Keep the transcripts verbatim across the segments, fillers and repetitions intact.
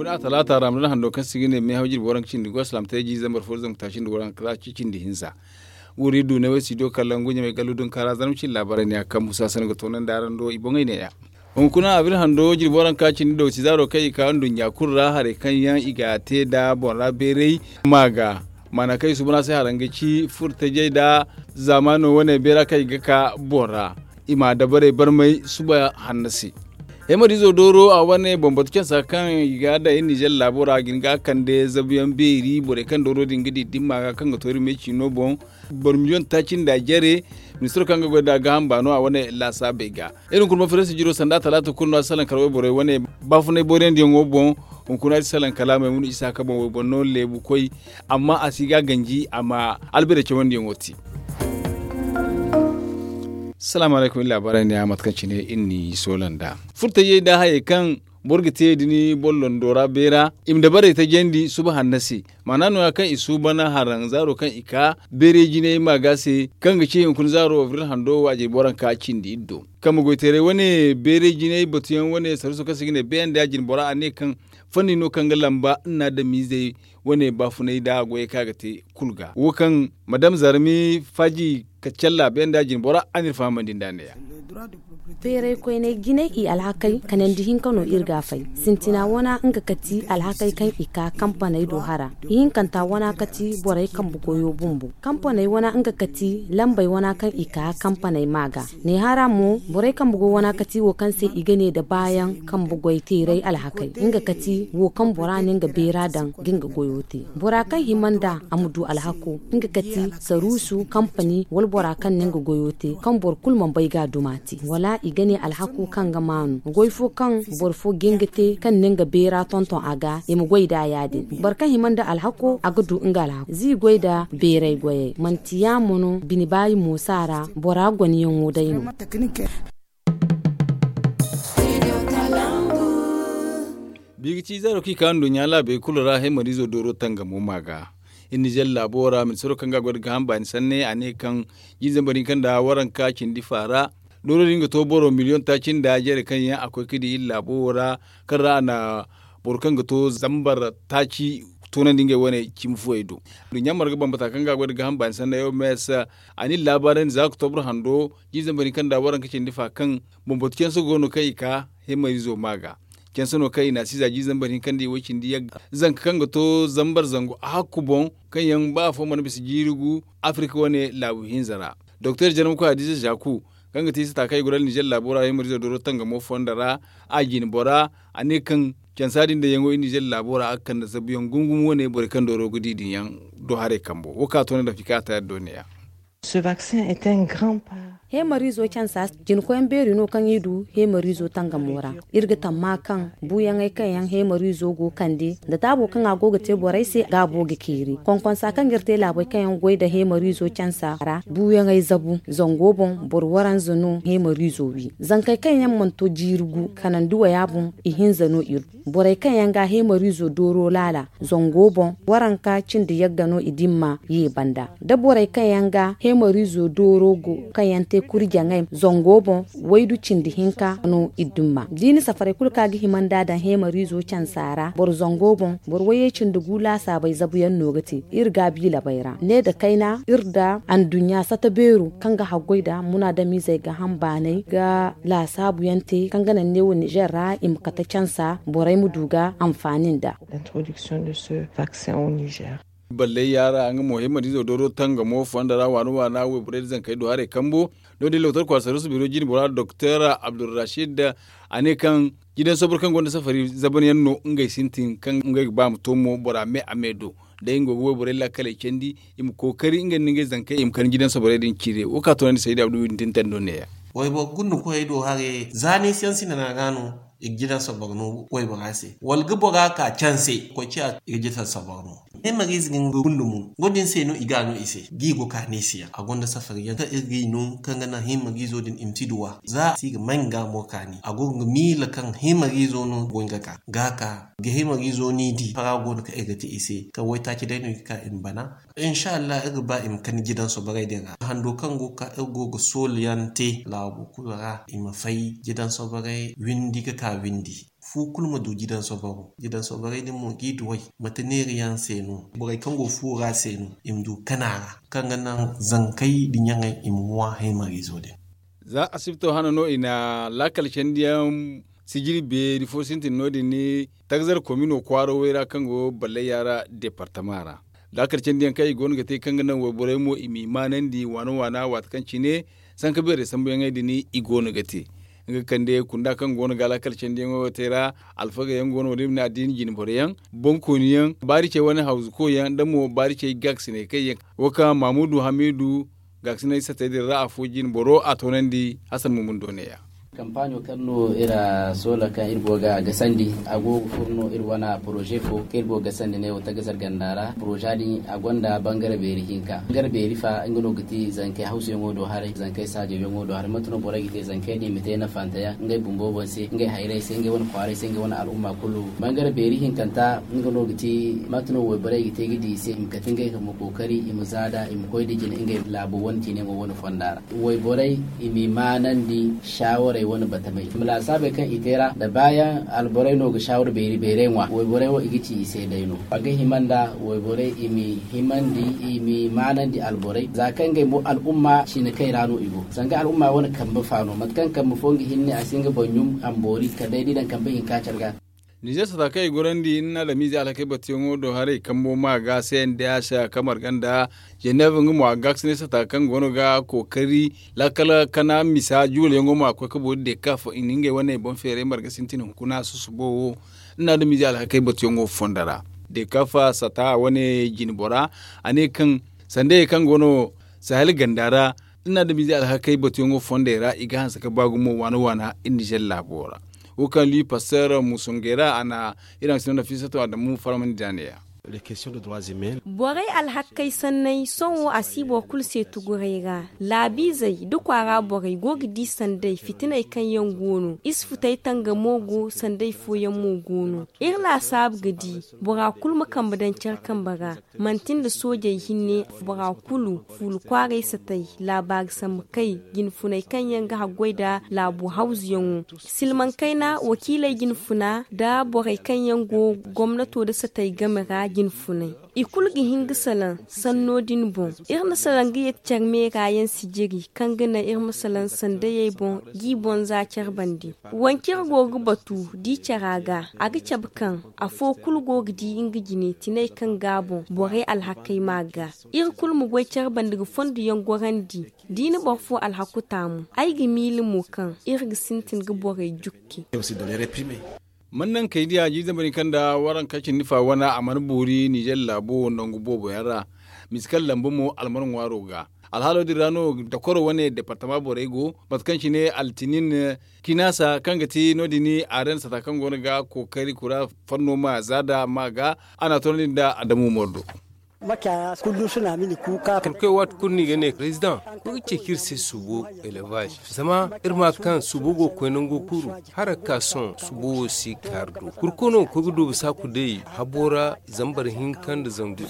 A talaata ra ma dana hando kaŋ se i ga ne meehaw jirbi waranka cindi goy salaam te jiiri zambar fo da zangu taaci nda waranka taaci cindi hinza. Wuri du ne way studio kalangu ɲamay gallu dunka ra zarma cindi laabaarey ne a kaŋ musa sanda ga toonandi araŋ do i boŋey ne ya. Hunkuna abir hando jirbi waranka cindi dawti zaaro kaŋ i ka nduɲɲa kulu ra haray kaŋ yaŋ i ga te nda boŋ ra beeray ma ga maana kaŋ i suuban a se haraŋ ga ci furtajey nda zaamaano wane beera kaŋ i ga ka boŋ ra. I ma dabarey barmay suba hanno se. Hemariizo dooro a wane bambatu cansa kaŋ i ga daŋ iri nizer laabo ra ga hin ga a kande zabuyaŋ beeri borey kaŋ dooro din ga di dimma ga kaŋ ga to iri me ciino boŋ. Boro miliyoŋ taaci nda jare ministiro kaŋ ga goy nda gaaham baano a wane laasaabey ga. Iri hunkuna ma firesi jiro sanda talaata kulu no a si salaŋ kala wayborey wane baafunay booriyandiyaŋo boŋ. Hunkuna iri si salaŋ kala maymun isa ka boŋ wayboro no leebu koy. Amma a si ga ganji a ma albere cawandiyaŋo te. Salaamu alaykum iri laabaarey ne a mate kaŋ cine iri n'i soola nd'a furtajey nda hayey kaŋ boro ga te da ni boro londo ra beera i ma dabarey tajandi suba hanno se. Maana nooya kaŋ i suuban haraŋ zaaro kaŋ i ka beeray jinay ma ga se kaŋ ga ci hunkuna zaaro abril hando wo a jirbi waranka cindi iri do. Kambe goyteeray wane beeray jinay batuyaŋ wane sarruso kaŋ se i ga ne beeyaŋ da ya jine bora a ne kaŋ fanni no kaŋ ga lamba nna adamiizey wane baafunay nda goyey kaŋ a ga te kulu ga wo kaŋ madam zarmi faaji kacalla beeyaŋ da ya jine bora a n'iri fahamandi nd'a ne ya. Beeray koyney jinay i alhakey kanandi hinka no iri ga a fay. Sintina wana nga kati alhakey kaŋ i ka kampaney do hara. Ihinkanta wana kati borey kambe goyo bumbo kampaney wana nga kati lambey wana kaŋ i ka kampaney ma ga. Neehara mo borey kambe goy wana kati wo kaŋ se i ga ne nda baayaŋ kambe goy teeray alhakey nga kati wo kaŋ bora na nga beera daŋ ga nga goyo te. Bora kaŋ hima nd'a a ma du alhako nga kati saruusu kampani wala bora kaŋ na nga goyo te kaŋ boro kulu mana bay ga a duma te wala i ga ne alhako kaŋ ga maanu goy fo kaŋ boro fo ga nga te kaŋ na nga beera tonton a ga i ma goy nd'a ya- din. Boro kaŋ hima nda alhako a ga du nga alhako za i goy nda beeray goyey manti yaamo no bine baayi moosa ra bora gonayaŋo day no. Biiga ci zaaro kaŋ i ka nduɲɲa laabey kulu ra hemariizo dooro tangamo ma ga. Iri nizer laabo ra ministiro kaŋ ga a goy nda gaaham baani sanne a ne kaŋ jiiri zambar hinka nda waranka cindi faara dooro din ga to boro miliyoŋ taaci nda jare kaŋ yaŋ a koy ga di iri laabo wo ra kaŋ ra a na boro kaŋ ga to zambar taaci toonandi ngey wane cimi fuwey do. Nduɲɲa marga bambata kaŋ ga a goy nda gaaham baani sanne yo mes a na iri laabaarandi za oktobro hando jiiri zambar hinka nda waranka cindi fa kaŋ bambatu canse go no kaŋ i ka hemariizo ma ga. Canse no kaŋ i na a si za jiiri zambar hinka nda i way cindi yagga zanka kaŋ ga to zambar zangu a hakku boŋ kaŋ yaŋ ba afo mana bisa jiiri gu afirika wane laabu hinza ra. Doktor jarmakoy hadiza zaku kaŋ ga te isa taakay goro alnizer laabo ra hemariizo dooro tangamo fonda ra a jine bora a ne kaŋ cansa din dayaŋo iri nizer laabo ra a ga kande zabuyaŋ gumgum wane borey kaŋ dooro ga di din yaŋ do haray kambo wo kaŋ a to ne dafika a ta yaddo ne ya. Hemariizo cansa jinkoyaŋ beeri no kaŋ i du hemariizo tangamo ra. Iri ga tamma kaŋ buuyaŋey kaŋ yaŋ hemariizo go kande nda taabo kaŋ a go ga te borey se gaabo ga keeri konkonsa kaŋ ga iri te laabey kaŋ yaŋ goy nda hemariizo cansa ra buuyaŋey zabu zango boŋ boro waranza no hemariizo wi zankey kaŋ yaŋ mana to jiiri gu kanandi waya boŋ ihinza no iri du. Borey kaŋ yaŋ ga hemariizo dooro laala zango boŋ waranka cindi yagga no i dimma ye banda da borey kaŋ yaŋ ga hemariizo dooro go kaŋ yaŋ te kurjaŋey zango boŋ waydu cindi hinka no i dimma da i na safarey kulu kaŋ a ga hima nd'a daŋ hemariizo cansa ra boro zango boŋ boro wayye cindi gu laasaabey zabuyaŋ no ga te iri gaabi labey ra ne nda kayna iri nda anduɲɲa sata beero kaŋ ga haggoy nda munaadamiizey gaaham baanay ga laasaabu yaŋ te kaŋ ga naŋ neewo nizer ra i ma kate cansa borey ma du ga anfaani nd'a. Balley yaara nga mo hemariizo dooro tangamo fonda ra waana waana wayborey nda zankey do haray kambo no- din lokotor kwaara saruusu biro jine bora doktor abdulrashid a ne kaŋ jidan sobor kaŋ gonda safari zaban yaŋ no ngey sintin kaŋ ngey ga ba ma to mo bora me a me do day nga go ga wayborey laakaley candi i ma kookari ngey nda ngey zankey i ma kande jidan soborey din ciire wo ka toonandi sayda abdu windin tando neeya. Wayboro gunda koyey do haray za ni siyaŋ sinana ga no i ga jidan sobor no waybora se wala ga bora ka canse koy ciya i ga jidan sobor no. Hemariize ga nga gunda mo nga din se no i ga no i se ga i go ka ne i se yaŋ a gonda safari yaŋ kaŋ iri ga i no kaŋ ga naŋ hemariizo din i ma si duwa za a si ga may nga mo kaani a go ga miila kaŋ hemariizo no go nga ka ga ka ga hemariizo ni di fara go no kaŋ iri ga te i se kaŋ waytaaci day no i ga ka i ma bana. Insa allah iri ga ba i ma kani jidan soborey din ra hando kaŋ go ga ka iri go ga soolu yaŋ te laabo kulu ra i ma fay jidan soborey windi ga ka windi. Fu kulu ma du jidan sobaro. Jidan sobarey din mo g'i duw'ey. Mate neeri yaŋ se no? Borey kaŋ go fuwo ra se no i ma du kana ra, kaŋ ga naŋ zankey da ɲaŋey i ma ŋwa haymariizo din. Za asibto hana no i na laakal candiyaŋ sijiri beeri fo sintin no- din ni tagzar komino kwaaro way ra kaŋ go ballayya ra departama ra. Laakal candiyaŋ kaŋ i go no ga te kaŋ ga naŋ wayborey mo i m'i maanandi waana waana waati kaŋ cine sanka beerey sambuyaŋey din i go no ga te. Nga kande kunda kaŋ go no ga laakal candiyaŋo te ra, alfagey yaŋ go no din na diini jinboro yaŋ, bonkoni yaŋ, baari cey wane hawzu koy yaŋ nda mo baari cey gaakasiney kaŋ yaŋ wo kaŋ mamudu hamidu gaakasiney satey din ra afo jinboro a toonandi hasan mumundo neeya. Kampaaɲo kaŋ no iri soola kaŋ iri go ga gasandi a go ga furo no iri wane poroze fo kaŋ iri go ga gasandi ne wo tagazar ganda ra poroza din a gonda bangare beeri hinka bangare beeri fa nga no ga ti zankey hawsuyaŋo do haray zankey saajayaŋo do haray mate no borey ga te zankey din i ma te nafantayaŋ ngey bumbo boŋ se ngey hayrey se ngey wane kwaarey se ngey wane al'umma kulu. Bangare beeri hinkanta nga no ga ti mate no wayborey ga te ga di i se i ma kate ngey ma kookari i ma zaada i ma koy da jine ngey laabo wane ciinayaŋo wane fonda ra. Wayborey i m'i maanandi shaawarey wane batamey i ma laasaabey kaŋ i te ra nda baayaŋ alborey no ga shaawara beeri beerey ŋwa wayborey wo i ga ci i se day no a ga hima nda wayborey i m'i himandi i m'i maanandi alborey za kaŋ ngey mo al'umma cine kay ra no i go zanga al'umma wane kambe fa no mate kaŋ kambe fo nga hinne a si nga boŋ ɲum a ma boori kala day da i daŋ kambe hinka care ga. Nizer sata kaŋ i gorandi ni na adamize alhakey batuyaŋo do haray kambo ma ga se nda ya se a kamar ganda jenev nga mo a ga ga sine sata kaŋ go no ga kookari laakal kana misa juuleyaŋo ma koy ka boori de kafa i na ngey wane boŋ feeray marga sintin hunkuna susubo wo ni na adamize alhakey batuyaŋo fondo ra de kafa sata wane jinbora a ne kaŋ sandayey kaŋ go no sahel ganda ra ni na adamize alhakey batuyaŋo fondey ra i ga hanse ka ba gumo waana waana iri nizer laabo ra wo kaŋ lui pastor musungera a na iri haŋ sino nafisato adamu faramandi da neeya. Borey alhakkey sanney sohõ a si boro kulu se tuguray ra. Laabiizey da kwaara borey go ga di sanday fitiney kaŋ yaŋ go no isfutey tangamo go sanday fooyaŋ mo go no. Iri laasaabu ga di bora kulu ma kambe daŋ care kambe ra. Manti nda soojey hinne bora kulu fuulu kwaaray satay laabaari sambu kay jinfuney kaŋ yaŋ ga haggoy nda laabo hawzuyaŋo. Silmaŋ kayna wakiiley jinfuna nda borey kaŋ yaŋ go gomnato nda satay game ra jinfuney i kulu ga hin ga salaŋ sanno din boŋ. Iri na salaŋ ga yeti care meera yaŋ sijiri kaŋ ga naŋ iri ma salaŋ sandayey boŋ g'i boŋ za care bande. Wancir go ga batu di cara ga a ga cabe kaŋ afo kulu go ga di nga jine tinay kaŋ ga boŋ borey alhakey ma ga iri kulu ma goy care bande ga fondo yaŋ gorandi. Di na boro fo alhaku taamu ay ga miila mo kaŋ iri ga sintin ga borey jukki. Man naŋ kay diya jiizambari kaŋ nda waranka cindi fa wana a mana boori nizer laabo nangu boobo yaŋ ra. Misikal lamba mo almar ŋwaaro ga alhaalo din ra no dakoro wane departama borey go mate kaŋ cine altinin kinasa kaŋ ga ti no- din a ren sata kaŋ go no ga kookari kura fanno ma zaada ma ga a na a toonandi nda adamu mordo. Kala koy waati kulu no i ga ne president koy ga ceeci iri se suubo elevaz zama iri ma kaŋ suubo go ga koy nango kuuru. Hara ga ka sohõ suubo wo si kaari do kurkono koy ga doobu saaku day habo ra zambar hinka nda zangu iddu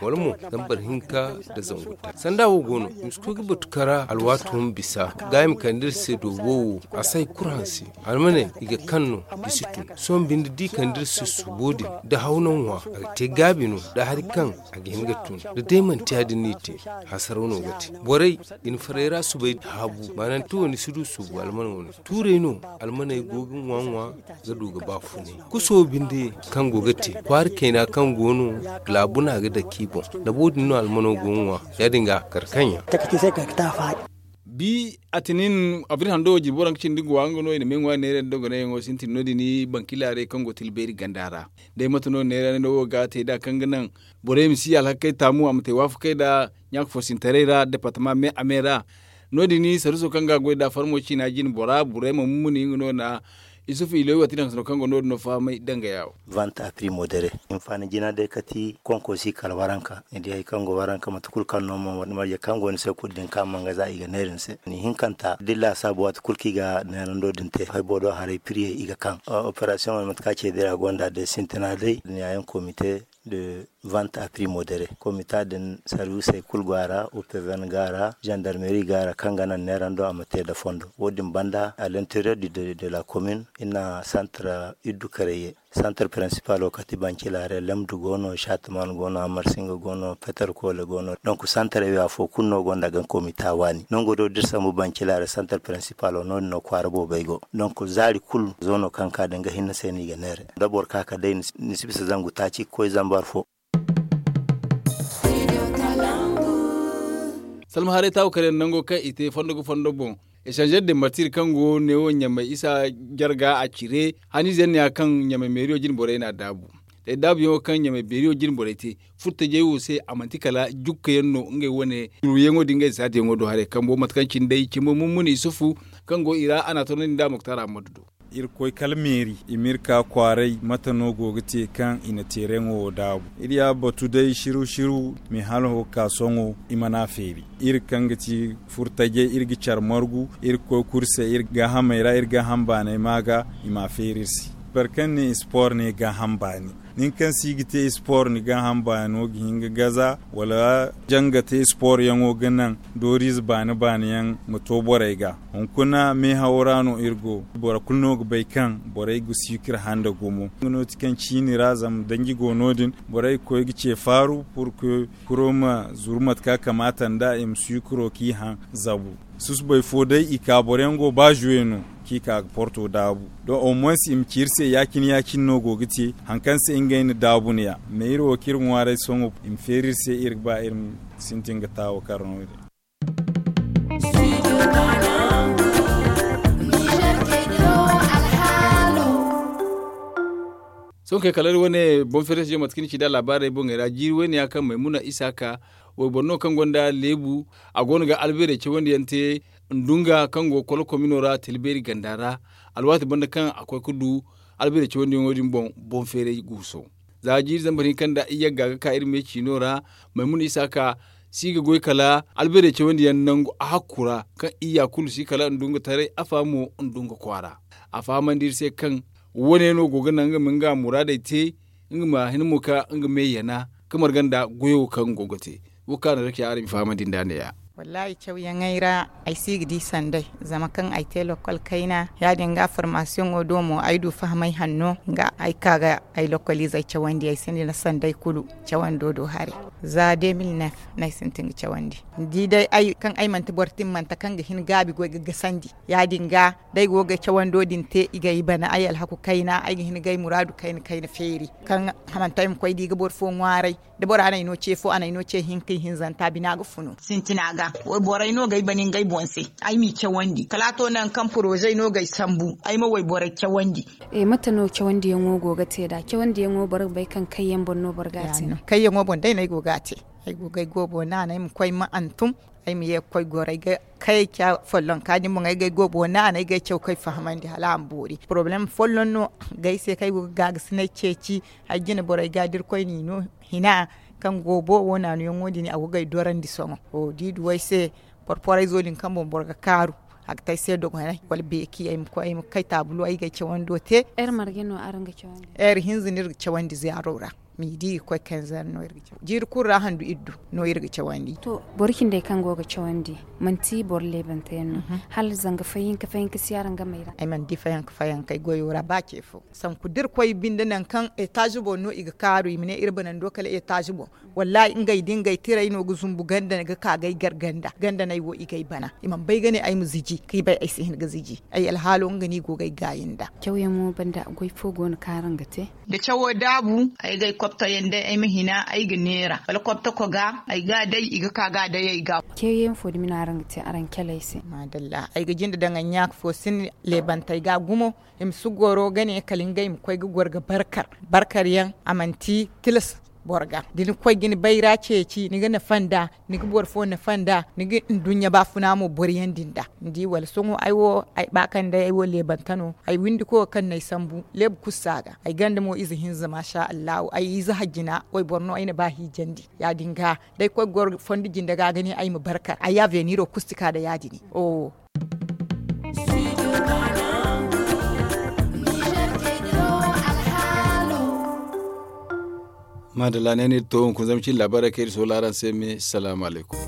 wala mo zambar hinka nda zangu ta sanda wo go no i ma si koy ga batu kara alwaato ma bisa ga i ma kande iri se doobo wo a si hay kulu hanse. Almaney i ga kaŋ no i si tun sohõ binde da i kande iri se suubo din da hawna ŋwa a ga te gaabi no da hari kaŋ a ga hin ga tun da day manti ya- din no i te. Hasaraw no ga te borey i na farey ra subay haabu maananti wo ni si du suubu alman wane tuurey no. Almaney go ga ŋwa ŋwa ga du ga baafunay kuso binde kaŋ go ga te kwaari kayna kaŋ go no. Laabu no a ga dake i boŋ da bo- din no almano go ga ŋwa ya- din ga a kar kaŋ yaŋ. Bi atinin abril hando wo jirbi waranka cindi guwa nga no i na me ŋwa neera dogonayyaŋo sintin no- din bankilaaray kaŋ go tilbeeri ganda ra. Day mate no neera no wo ga te da kaŋ ga naŋ borey ma si alhakey taamu a ma te waafakey nda ɲaaka foosintaray ra departama me a me ra. No- din sarruso kaŋ ga goy nda farmo ciina jine bora burey ma mumuni nga no na isufu iloy waati daŋ sano kaŋ go no- din no fahamay dangaya wo. Vanta primo dere hinfaani jina day kati konko si kala waranka ni di hari kaŋ go waranka mate kulu kaŋ no mo marje kaŋ go ni se kulu din kaŋ manga za i ga neera ni se ni hinkanta da ni laasaabu waati kulu kaŋ i ga neerando din te hay boro do haray piriyey i ga kaŋ. Operasiyoŋ wane mate kaŋ a ce day a gonda day sintina day ni ya yaŋ komite. de vant a pri modere komita din sarwisey kulu go a ra, upevn go a ra, zandarmeri go a ra kaŋ ga naŋ neerando a ma te nda fondo. Wo- din banda a l'interieur de la komin i na santar iddu kareye. Santar prinsipalo kati bancilare lemdu go no shatman go no amarsinga go no peterkole go no. Donk santarey wo afo kulu no gonda ga komita waani nango do da iri sambu bancilare santar prinsipalo no- din no kwaara boobey go. Donk zaari kulu zo no kaŋ ka da nga hinne se no i ga neere da boro ka ka day ni si bisa zangu taaci ga koy zambar fo. Salma haray taawo kare nango kaŋ i te fondo ga fondo boŋ. Esanzer de martir kaŋ go neewo ɲamay isa jarga a cire haniize yaŋ ne ya kaŋ ɲamay meeriyo jine borey n'a daabu. Day daabuyaŋo kaŋ ɲamay beeriyo jine borey te furtajey wo se a manti kala jukkayaŋ no ngey wane curuyaŋo din ngey saadiyaŋo do haray kambo mate kaŋ cine day cimo mummuni isufu kaŋ go i ra a n'a toonandi nda moktar ammadu do. Irkoy kala meeri i ma iri ka kwaaray mate no go ga te kaŋ i na teeraŋo wo daabu. Iri ya batu day shiru shiru me hala ho ga ka sohõ i mana feeri. Iri kaŋ ga ti furtajey iri ga care margu iri ga koy kuri se iri gaahamey ra iri gaaham baaney ma ga i ma a feeri iri se. Boro kaŋ ne sport ne gaaham baani nin kaŋ si ga te sport ni gaaham baano ga hin ga gaza wala janga te sport yaŋo ga naŋ dooriize baani baani yaŋ ma to borey ga. Hunkuna meehawo ra no iri go boro kulu no ga bay kaŋ borey ga sucre handa gumo nga no ti kaŋ ciini ra zama danji go no- din borey ga koy ga ce faaru pur que kuro ma zuru mate kaŋ a kamaata nd'a i ma sucro k'i haŋ zabu. Susubay fo day i ka boro yaŋ go ba zuwe no kaŋ i ka ga porto daabu. Don au moins i ma ci iri se ya- cine ya- cine no go ga te hari kaŋ se ngey na daabu no- ya. Mais iri wo kaŋ iri ŋwaaray sohõ i ma feeri iri se iri ga ba iri ma sintin ga taawo kar no- din. Sohõ kay kala iri wane boŋ feerey se mate kaŋ ni ci nd'a laabaarey boŋey ra jiiri wayne ya kaŋ maymuna isaaka wayboro no kaŋ gonda leebu a go no ga albeerey cawandi yaŋ te. Ndunga kaŋ go kolo komino ra tilbeeri ganda ra alwaati banda kaŋ a koy ga du albeerey cawandiyaŋo din boŋ boŋ feeray guuso. Za jiiri zambar hinka nda iyagga ga ka iri me ciino ra maymuna isaaka si ga goy kala albeerey cawandiyaŋ nangu a hakku ra kaŋ iyya kulu si kala ndunga taray afa mo ndunga kwaara. A fahamandi iri se kaŋ wane no go ga naŋ nga ma nga muraadey te nga ma hin mo ka nga me yana ka marga nda goyo kaŋ go ga te. Wo kaŋ a na rakiya araŋ ma fahamandi nd'a ne- ya. Wallaahi cawyaŋey ra ay si ga di sanday zama kaŋ ay te lokkol kayna ya- din ga formasiyoŋo do mo ay du fahamay hanno nga ay ka ga ay lokkoliizey cawandi ay sinda sanday kulu cawando do haray. Za deux mille neuf no ay sintin ga cawandi ni di day ay kaŋ ay manti boro timmante kaŋ ga hin gaabi goy ga gasandi. Ya- din ga da ay go ga cawando din te i ga ay bana ay alhaku kayna ay ga hin ga ay muraadu kayna kayna feeri kaŋ hamanta ay ma koy da i ga boro fo ŋwaaray. Da bora n'ay no ce fo a n'ay no ce hinka ihinzanta bina ga funu. Sintina ga wayborey no ga ay bana ngey boŋ se ay m'i cawandi kala a to nangu kaŋ porozey no ga ay sambu ay ma wayborey cawandi. Mate no cawandiyaŋo go ga te nd'a cawandiyaŋo boro ga bay kaŋ kayyaŋ boŋ no boro ga a te? Kayyaŋo boŋ day no ay go ga a te. Ay go ga ay goobo naanay ma koy ma hantum ay ma ye ga koy goro ay ga kay ca follonka din boŋ ay ga ay goobo naanay ga ay caw ga ay fahamandi hala a ma boori porobalem folloŋ no ga ay se kaŋ ay go ga gaagasinay ceeci. Ay jine borey ga da irkoy n'i no hina kaŋ goobo wo naanuyaŋo din a go ga ay dorandi sohõ. Da i du ay se porporayzo din kaŋ boŋ boro ga kaaru a ga te ay se dogonay wala beeki ay ma koy ay ma kay taabulo ay ga ay cawando te. Heure marge no araŋ ga cawandi? Heure hinza no iri ga cawandi zaaro ra. Midi ga koy kanzar no iri ga cawandi jiiri kulu ra handu iri du no iri ga cawandi. To boro cindey kaŋ go ga cawandi manti boro leebante yaŋ no? Hala zanga fahinka fahinka si araŋ ga may ra? Ay mana di fayanka fayankey goyo ra ba ce fo. Sanku da iri koy binde nangu kaŋ etaaz boŋ no i ga kaaru i ma ne iri banando kala etaaz boŋ. Wallaahi ngey da ngey tirey no ga zumbu ganda ga ka ga ay gar ganda ganda no ay wo i ga ay bana i mana bay ga ne ay ma ziji kaŋ i bay ay si hin ga ziji. Ay alhaalo nga no i go ga ay gaayi nda. Cawyaŋo banda goy fo go no kaŋ araŋ ga te? Da cawo daabu ay ga ay kobtayaŋ day ay ma hina ay ga neera wala kobtako ga ay ga a day i ga ka ga a day ay ga. Cawyaŋ fo dumi no araŋ ga te araŋ caley se? Maadalla ay ga jinde daŋ ay ɲaaka fo sinda leebantey ga gumo. I ma si goro ga ne kala ngey ma koy ga goro ga barkar barkar yaŋ a manti tilas. Boro ga da ni koy ga ni bayra ceeci ni ga nafa nd'a ni ga boro fo nafa nd'a ni ga nduɲɲa baafuna mo boro yaŋ din da ni di wala sohõ ay wo ay ba kaŋ day ay wo leebanta no ay windiko kaŋ no ay sambu leebu kulu si a ga ay ganda mo ize hinza maasa allahu ay ize hajjina wayboro no ay na ba hiijandi. Ya- din ga da ay koy ga goro fondo jinde ga ga ne ay ma barkar ay aveniro kulu si ka nda ya- din. Oho. Maadalla ne no iri to hunkuna zama cin laabaarey kaŋ iri soola araŋ se me salaamu alaykum.